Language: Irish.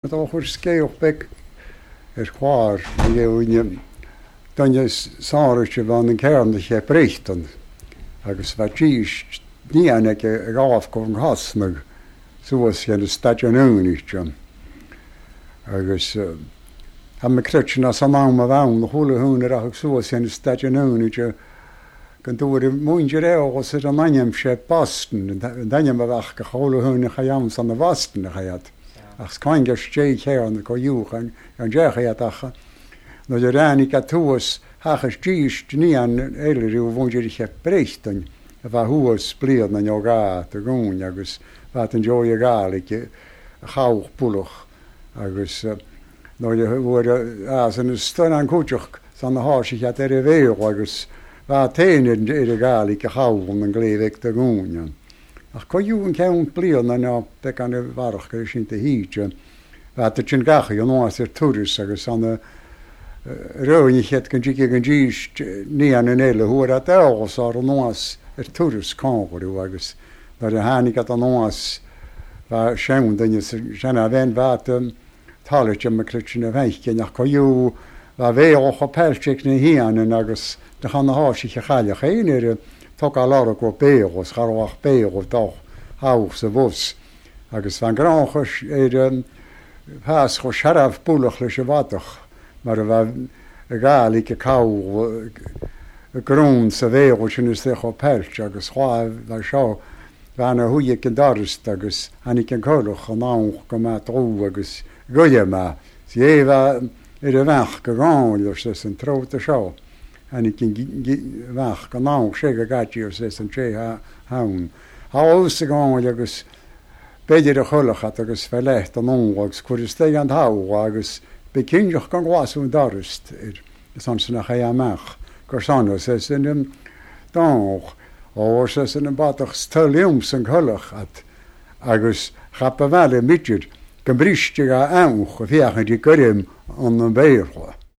Dá chuir scéal beag ar chlár a dhéanamh duine sáraithe bhean an cearn a cheap Brechtan agus bheadh dís níon aige ag amharc ón gcosnadh suas chun an Staidéir Unite agus tá mé creidte ná san am a bhean a chuala thún a rachadh suas chun an Staidéir Unite go dtabharfaidh muintir eolas ar an ainm sé Boston an t-ainm a bheadh go chuala thún a chaith ann san a Bhoston a chaith. Ach 's coingear sté chéanna co dhiúchan ar an dteach iad ach nuair a ráinig a thuas sheachas dís níon eile riú bhúindir Brechtan a bheith thuas bliana nó dhá do dhúinn agus bheadh an deoir Gàidhlig a chabhach bullach agus nuair a bhfuair a san is don an cúiteach san a tháis chead ar a bhéal agus bheadh féin ar an Ghàidhlig a chabhlann an gcléibh ag do dhúinn. Ach coigeadh an ceann bliana ná beidh an bharrach go sin de híde. Bheadh sin gach aon áit ar turas agus an raibh chéad go dtiocfaidh an dís ní an eile huair a d'fhágas ár anuas ar turas cóngarú agus nuair a tháinig ad anuas bheadh sean duine sa seana bhean bheadh Táillte mo chluiche na bhfeicinn ach coigeadh bheadh bhéal chomh peilte ag na hianainn agus do chan na háiseacha chailleach féin ar a tógáil orthu go béal is cha raibh ach béal dá thabhairt sa bhus agus bheadh an gránchas ar an phas chomh searbh bualach leis an mhadadh mar a bheadh Gàidhlig ag cabhail grún sa bhéal sin is é chomh peilte agus bheadh seo Bhean a shuigh ag an doras agus tháinig an coileach anonn go maith dlúth agus goile maith. 'S dhé bheith ar a bheach go gáil arsa an tróta seo. Tháinig an bheach anonn sé go gcaití arsa an té ann. Thall sa gáil agus b'fhéidir a choileach at agus fé leith don ungla agus cuir istoigh an t-amhla agus bí cinnteach gan glasú an doras ar Is ansin a chaith amach gur sona arsa an dánach, ó arsa an bodach 's toil liomsa an coileach at agus chap a bhaile m'fhidir go mbriste a anch a féachaint i gcoirm an Bhéarla.